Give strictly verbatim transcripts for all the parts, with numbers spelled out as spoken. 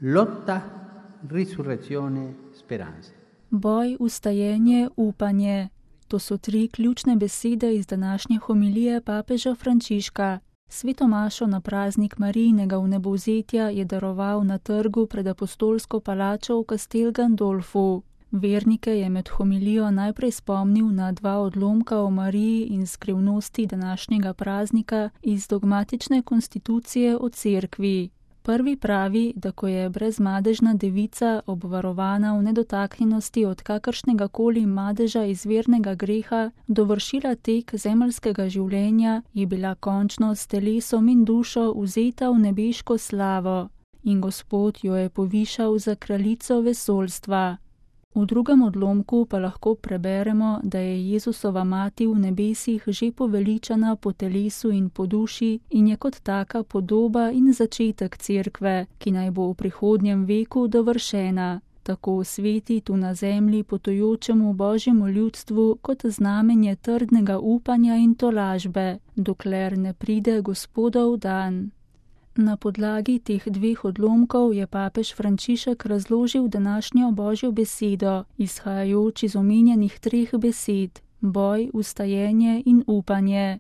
Lotta, risurrezione, speranza. Boj, vstajenje, upanje. To so tri ključne besede iz današnje homilije papeža Frančiška. Sveto mašo na praznik Marijinega vnebovzetja je daroval na trgu pred apostolsko palačo v Castel Gandolfu. Vernike je med homilijo najprej spomnil na dva odlomka o Mariji in skrivnosti današnjega praznika iz dogmatične konstitucije o cerkvi. Prvi pravi, da ko je brezmadežna devica obvarovana v nedotaknjenosti od kakršnega koli madeža izvirnega greha dovršila tek zemeljskega življenja, je bila končno s telesom in dušo vzeta v nebeško slavo in Gospod jo je povišal za kraljico vesoljstva. V drugem odlomku pa lahko preberemo, da je Jezusova mati v nebesih že poveličana po telesu in po duši in je kot taka podoba in začetek cerkve, ki naj bo v prihodnjem veku dovršena, tako sveti tu na zemlji potujočemu Božjemu ljudstvu kot znamenje trdnega upanja in tolažbe, dokler ne pride Gospodov dan. Na podlagi teh dveh odlomkov je papež Frančišek razložil današnjo Božjo besedo, izhajajoč iz omenjenih treh besed: boj, vstajenje in upanje.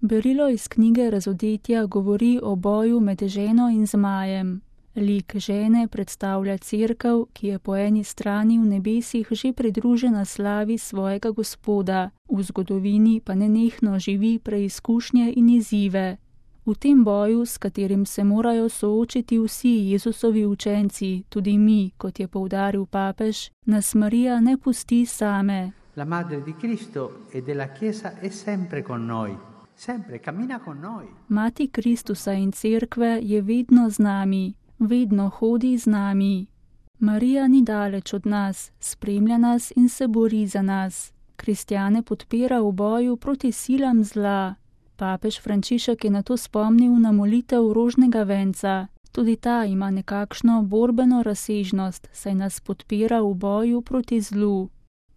Berilo iz knjige Razodetja govori o boju med ženo in zmajem. Lik žene predstavlja cerkev, ki je po eni strani v nebesih že pridružena slavi svojega Gospoda, v zgodovini pa nenehno živi preizkušnje in izzive. V tem boju, s katerim se morajo soočiti vsi Jezusovi učenci, tudi mi, kot je poudaril papež, nas Marija ne pusti same. La madre di Cristo e della Chiesa è sempre con noi, sempre cammina con noi. Mati Kristusa in cerkve je vedno z nami, vedno hodi z nami. Marija ni daleč od nas, spremlja nas in se bori za nas. Kristjane podpira v boju proti silam zla. Papež Frančišek je na to spomnil na molitev rožnega venca. Tudi ta ima nekakšno borbeno razsežnost, saj nas podpira v boju proti zlu.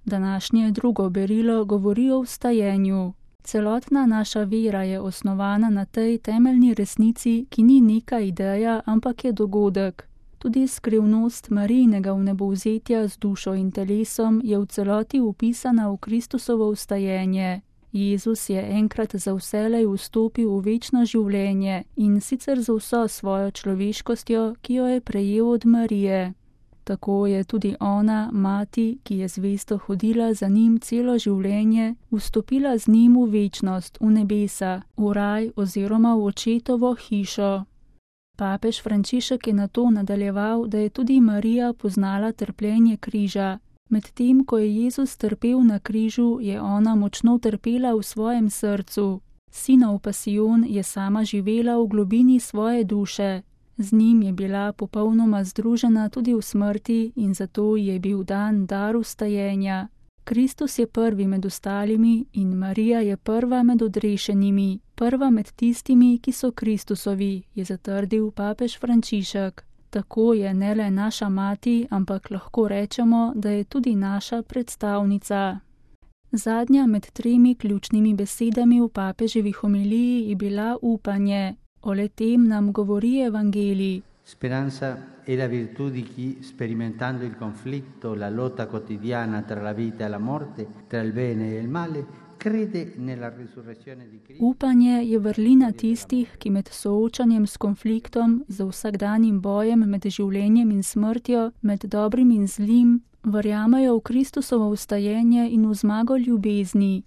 Današnje drugo berilo govori o vstajenju. Celotna naša vera je osnovana na tej temeljni resnici, ki ni neka ideja, ampak je dogodek. Tudi skrivnost Marijinega vnebovzetja z dušo in telesom je v celoti upisana v Kristusovo vstajenje. Jezus je enkrat za vselej vstopil v večno življenje in sicer z vso svojo človeškostjo, ki jo je prejel od Marije. Tako je tudi ona, mati, ki je zvesto hodila za njim celo življenje, vstopila z njim v večnost, v nebesa, v raj oziroma v očetovo hišo. Papež Frančišek je nato nadaljeval, da je tudi Marija poznala trpljenje križa. Medtem, ko je Jezus trpel na križu, je ona močno trpela v svojem srcu. Sinov pasijon je sama živela v globini svoje duše. Z njim je bila popolnoma združena tudi v smrti in zato je bil dan dar vstajenja. Kristus je prvi med ostalimi in Marija je prva med odrešenimi, prva med tistimi, ki so Kristusovi, je zatrdil papež Frančišek. Tako je ne le naša mati, ampak lahko rečemo, da je tudi naša predstavnica. Zadnja med tremi ključnimi besedami v papeževi homiliji je bila upanje. O le-tem nam govori evangelij. Speranza è la virtù di chi, sperimentando il conflitto, la lotta quotidiana tra la vita e la morte, tra il bene e il male, crede nella risurrezione di Cristo. Upanje je vrlina tistih, ki med soočanjem s konfliktom, z vsakdanjim bojem med življenjem in smrtjo, med dobrim in zlim, verjamejo v Kristusovo vstajenje in v zmago ljubezni.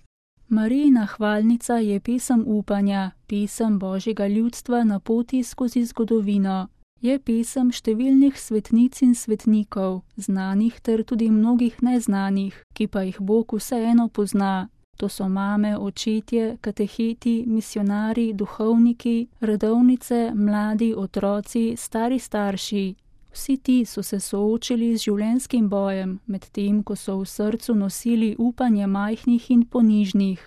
Marijina hvalnica je pesem upanja, pesem Božjega ljudstva na poti skozi zgodovino. Je pesem številnih svetnic in svetnikov, znanih ter tudi mnogih neznanih, ki pa jih Bog vseeno pozna. To so mame, očetje, kateheti, misionari, duhovniki, redovnice, mladi, otroci, stari starši. Vsi ti so se soočili z življenjskim bojem, medtem ko so v srcu nosili upanje majhnih in ponižnih.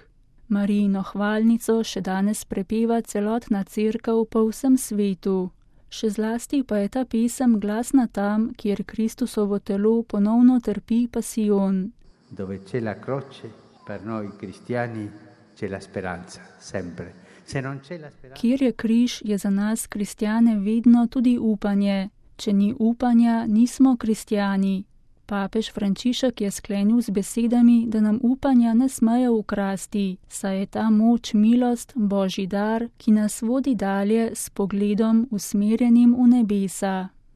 Marijino hvalnico še danes prepeva celotna cerkev po vsem svetu. Še zlasti pa je ta pesem glasna tam, kjer Kristusovo telo ponovno trpi pasijon. Dove c'è la croce, per noi cristiani c'è la speranza, sempre. Se non c'è la speranza... Kjer je križ, je za nas kristjane vedno tudi upanje. Če ni upanja, nismo kristjani. Papež Frančišek je sklenil z besedami, da nam upanja ne smejo ukrasti, saj je ta moč milost, Božji dar, ki nas vodi dalje s pogledom usmerjenim v nebesa.